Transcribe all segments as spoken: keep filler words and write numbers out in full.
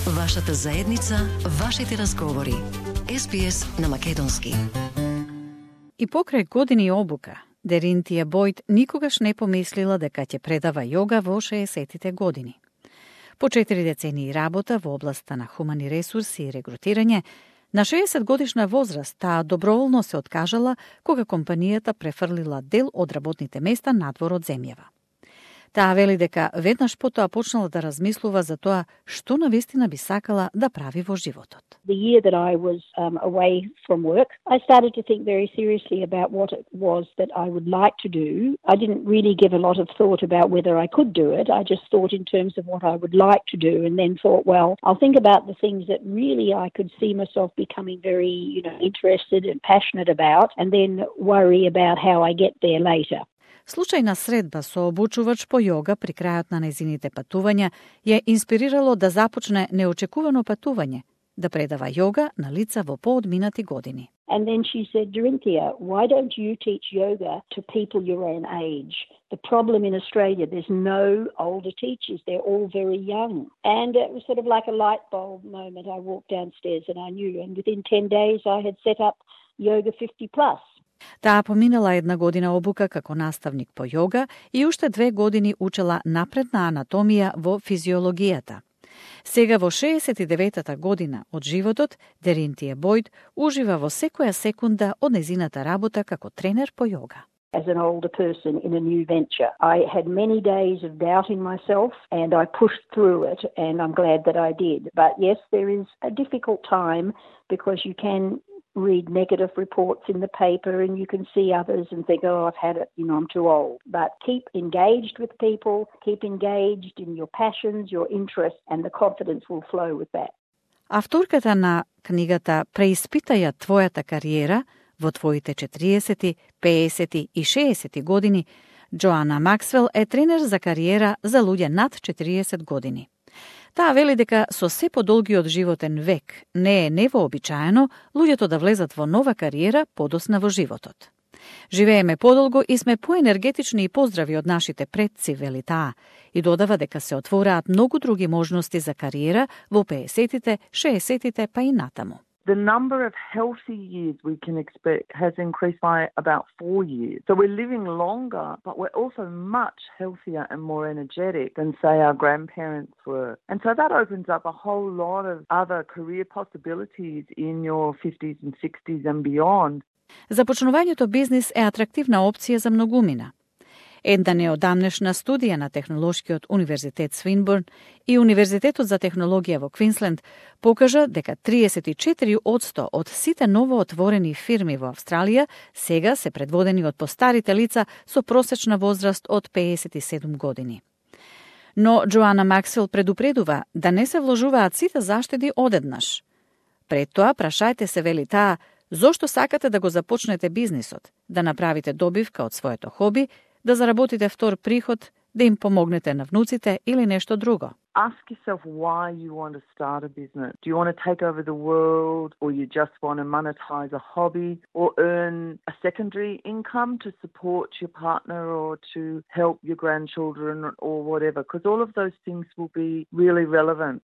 Вашата заедница, вашите разговори. Ес Би Ес на македонски. И покрај години обука, Деринтија Бојд никогаш не помислила дека ќе предава јога во шеесеттите години. По четири децении работа во областа на хумани ресурси и регрутирање, на шеесет годишна возраст таа доброволно се откажала кога компанијата префрлила дел од работните места надвор од земјава. Таа вели дека веднаш потоа почнала да размислува за тоа што навистина би сакала да прави во животот. The year that I was um, away from work, I started to think very seriously about what it was that I would like to do. I didn't really give a lot of thought about whether I could do it. I just thought in terms of what I would like to do, and then thought, well, I'll think about the things that really I could see myself becoming very, you know, interested and passionate about, and then worry about how I get there later. Случајна средба со обучувач по јога при крајот на нејзините патувања ја инспирирало да започне неочекувано патување, да предава јога на лица во поодминати години. And then she said, Derinthia, why don't you teach yoga to people your own age? The problem in Australia, there's no older teachers. They're all very young. And it was sort of like a light bulb moment. I walked downstairs and I knew. And within ten days, I had set up Yoga fifty plus. Таа поминала една година обука како наставник по јога и уште две години учела напредна анатомија во физиологијата. Сега во шеесет и деветата година од животот, Деринтија Бојд ужива во секоја секунда од нејзината работа како тренер по јога. As an older person in a new venture, I had many days of doubting myself and I pushed through it, and I'm glad that I did. But yes, there is a difficult time because you can read negative reports in the paper and you can see others and think, oh, I've had it, you know, I'm too old. But keep engaged with people, keep engaged in your passions, your interests, and the confidence will flow with that. Авторката на книгата Преиспитај твојата кариера во твоите четириесети, пеесети и шеесети години, Джоана Максвел е тренер за кариера за луѓе над четириесет години. Таа вели дека со се подолгиот животен век не е невообичаено луѓето да влезат во нова кариера подосна во животот. Живееме подолго и сме поенергетични и поздрави од нашите предци, вели таа, и додава дека се отвораат многу други можности за кариера во пеесетите, шеесетите па и натаму. The number of healthy years we can expect has increased by about four years. So we're living longer, but we're also much healthier and more energetic than, say, our grandparents were. And so that opens up a whole lot of other career possibilities in your fifties and sixties and beyond. Започнувањето бизнис е атрактивна опција за многумина. Една неодамнешна студија на Технолошкиот универзитет Свинбурн и Универзитетот за технологија во Квинсленд покажа дека триесет и четири одсто од сите новоотворени фирми во Австралија сега се предводени од постарите лица со просечна возраст од пеесет и седум години. Но Джоана Максвел предупредува да не се вложуваат сите заштеди одеднаш. Пред тоа прашајте се, вели таа, зошто сакате да го започнете бизнисот, да направите добивка од своето хоби, да заработите втор приход, да им помогнете на внуците или нешто друго. Ask yourself why you want to start a business. Do you want to take over the world, or you just want to monetize a hobby, or earn a secondary income to support your partner or to help your grandchildren or whatever? Because all of those things will be really relevant.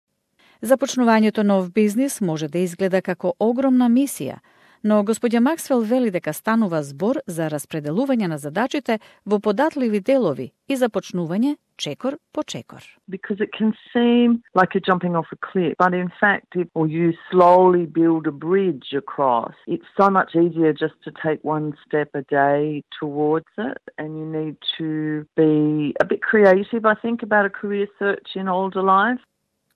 Започнувањето нов бизнис може да изгледа како огромна мисија, но господја Максвел вели дека станува збор за распределување на задачите во податливи делови и започнување чекор по чекор. Because it can seem like you're jumping off a cliff, but in fact, if or you slowly build a bridge across, it's so much easier just to take one step a day towards it, and you need to be a bit creative, I think, about a career search in older life.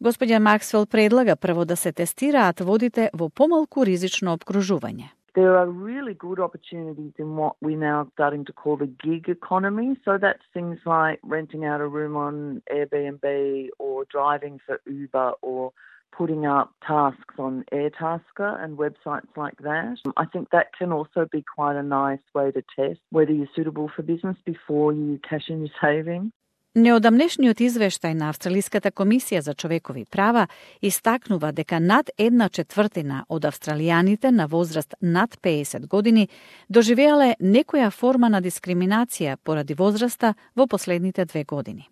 Господја Максвел предлага прво да се тестираат водите во помалку ризично обкружување. There are really good opportunities in what we now starting to call the gig economy. So that's things like renting out a room on Airbnb or driving for Uber or putting up tasks on Airtasker and websites like that. I think that can also be quite a nice way to test whether you're suitable for business before you cash in your savings. Неодамнешниот извештај на Австралиската комисија за човекови права истакнува дека над една четвртина од австралијаните на возраст над пеесет години доживеале некоја форма на дискриминација поради возраста во последните две години.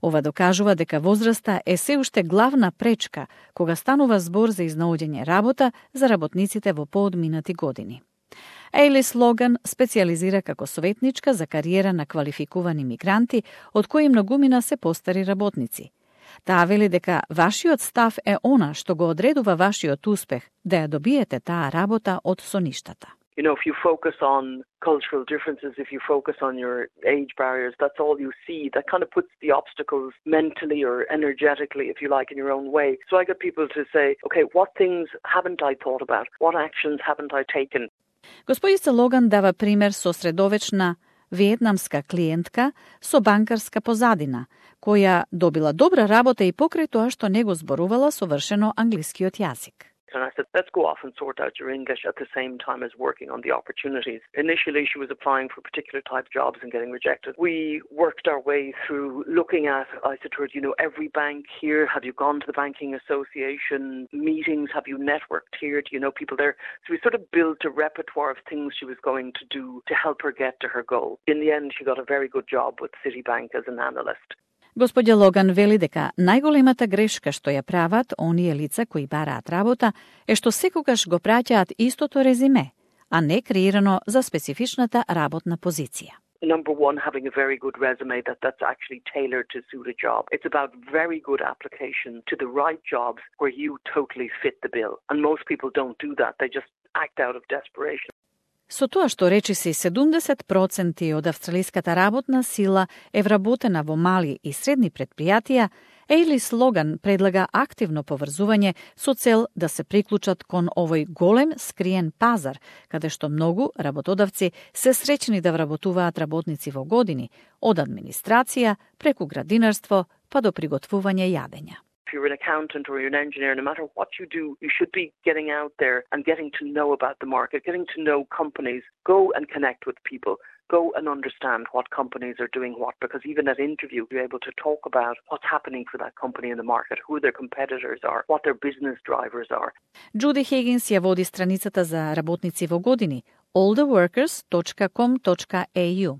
Ова докажува дека возраста е се уште главна пречка кога станува збор за изнаоѓање работа за работниците во поодминати години. Ейлис Логан специализира како советничка за кариера на квалификувани мигранти, од кои многумина се постари работници. Таа вели дека вашиот став е она што го одредува вашиот успех да ја добиете таа работа од соништата. You know, if you focus on cultural differences, if you focus on your age barriers, that's all you see. That kind of puts the obstacles mentally or energetically, if you like, in your own way. So I get people to say, okay, what things haven't I thought about? What actions haven't I taken? Господица Логан дава пример со средовечна виетнамска клиентка со банкарска позадина, која добила добра работа и покрај тоа што не го зборувала совршено англискиот јазик. And I said, let's go off and sort out your English at the same time as working on the opportunities. Initially, she was applying for particular type jobs and getting rejected. We worked our way through looking at, I said to her, you know, every bank here, have you gone to the Banking Association meetings? Have you networked here? Do you know people there? So we sort of built a repertoire of things she was going to do to help her get to her goal. In the end, she got a very good job with Citibank as an analyst. Господја Логан вели дека најголемата грешка што ја прават оние лица кои бараат работа е што секогаш го праќаат истото резиме, а не креирано за специфичната работна позиција. Number one, having a very good resume that, that's actually tailored to suit a job. It's about very good application to the right jobs where you totally fit the bill. And most people don't do that. They just act out of desperation. Со тоа што речиси седумдесет проценти од австралиската работна сила е вработена во мали и средни предпријатија, Ейлис Логан предлага активно поврзување со цел да се приклучат кон овој голем скриен пазар, каде што многу работодавци се среќни да вработуваат работници во години, од администрација, преку градинарство, па до приготвување јадења. If you're an accountant or you're an engineer, no matter what you do, you should be getting out there and getting to know about the market, getting to know companies. Go and connect with people. Go and understand what companies are doing what, because even at interview, you're able to talk about what's happening for that company in the market, who their competitors are, what their business drivers are. Джуди Хигинс ја води страницата за работници во години all the workers dot com dot a u.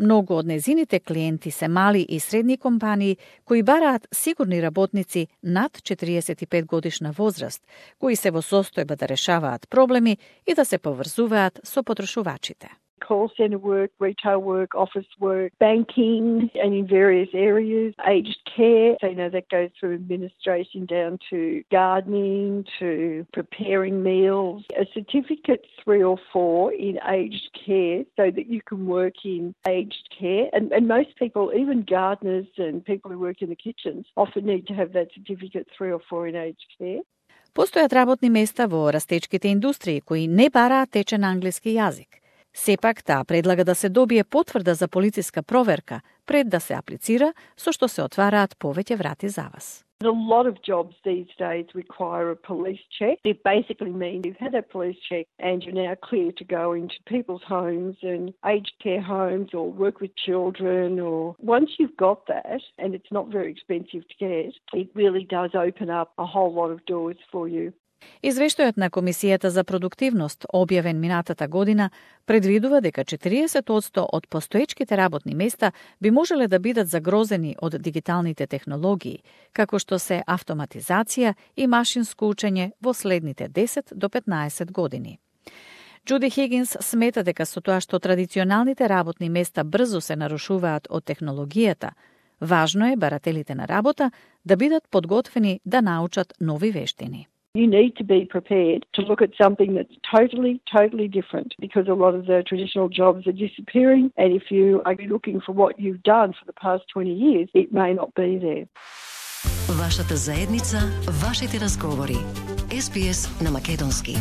Многу од незините клиенти се мали и средни компании кои бараат сигурни работници над четириесет и пет годишна возраст, кои се во состојба да решаваат проблеми и да се поврзуваат со потрошувачите. Call centre work, retail work, office work, banking, and in various areas, aged care. So, you know, that goes through administration down to gardening, to preparing meals. A certificate three or four in aged care so that you can work in aged care. And, and most people, even gardeners and people who work in the kitchens, often need to have that certificate three or four in aged care. Постојат работни места во растечките индустрии кои не бараат течен англиски јазик. Сепак таа предлага да се добие потврда за полициска проверка пред да се аплицира, со што се отвараат повеќе врати за вас. A lot of jobs these days require a police check. It basically means you've had a police check and you're now clear to go into people's homes and aged care homes or work with children. Or once you've got that, and it's not very expensive to get, it really does open up a whole lot of doors for you. Извештајот на Комисијата за продуктивност, објавен минатата година, предвидува дека четириесет одсто од постоечките работни места би можеле да бидат загрозени од дигиталните технологии, како што се автоматизација и машинско учење во следните десет до петнаесет години. Джуди Хигинс смета дека со тоа што традиционалните работни места брзо се нарушуваат од технологијата, важно е барателите на работа да бидат подготвени да научат нови вештини. You need to be prepared to look at something that's totally, totally different because a lot of the traditional jobs are disappearing, and if you are looking for what you've done for the past twenty years, it may not be there. Вашата заедница, вашите разговори. Ес Би Ес на македонски.